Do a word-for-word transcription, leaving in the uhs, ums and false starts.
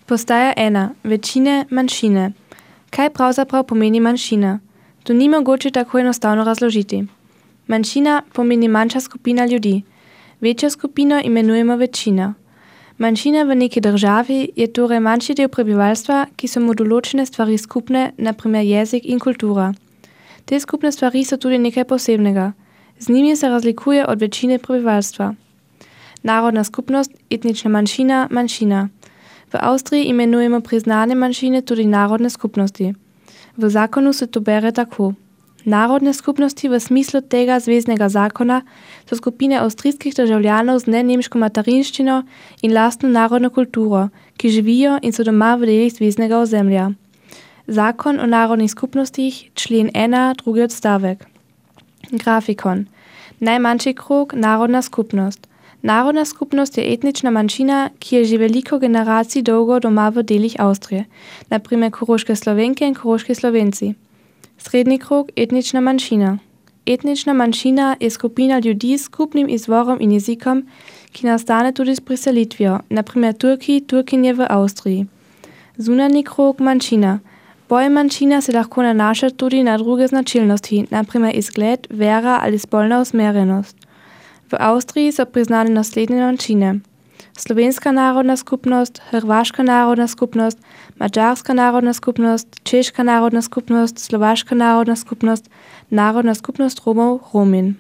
Postaja ena. Večine, manjšine. Kaj pravzaprav pomeni manjšina? To ni mogoče tako enostavno razložiti. Manjšina pomeni manjša skupina ljudi. Večjo skupino imenujemo večina. Manjšina v neki državi je torej manjši del prebivalstva, ki so mu določene stvari skupne, na primer jezik in kultura. Te skupne stvari so tudi nekaj posebnega. Z njimi se razlikuje od večine prebivalstva. Narodna skupnost, etnična manjšina, manjšina. V Avstriji imenujemo priznane manjšine tudi narodne skupnosti. V zakonu se to bere tako. Narodne skupnosti v smislu tega zveznega zakona so skupine avstrijskih državljanov z nenemško materinščino in lastno narodno kulturo, ki živijo in so doma v delih zveznega ozemlja. Zakon o narodnih skupnostih, člen ena, drugi odstavek. Grafikon. Najmanjši krog, narodna skupnost. Narodna skupnost je etnična manjšina, ki je že veliko generacij dolgo doma v delih Avstrije, na primer koroške Slovenke in koroški Slovenci. Srednji krog, etnična manjšina. Etnična manjšina je skupina ljudi s skupnim izvorom in jezikom, ki nastane tudi s priselitvijo, na primer Turki, Turkinje v Avstriji. Zunanji krog, manjšina. Pojem manjšina se lahko nanaša tudi na druge značilnosti, na primer izgled, vera ali spolna usmerjenost. V Avstriji so priznane naslednje manjšine: Slovenska narodna skupnost, Hrvaška narodna skupnost, Madžarska narodna skupnost, Češka narodna skupnost, Slovaška narodna skupnost, Narodna skupnost Romov, Romin.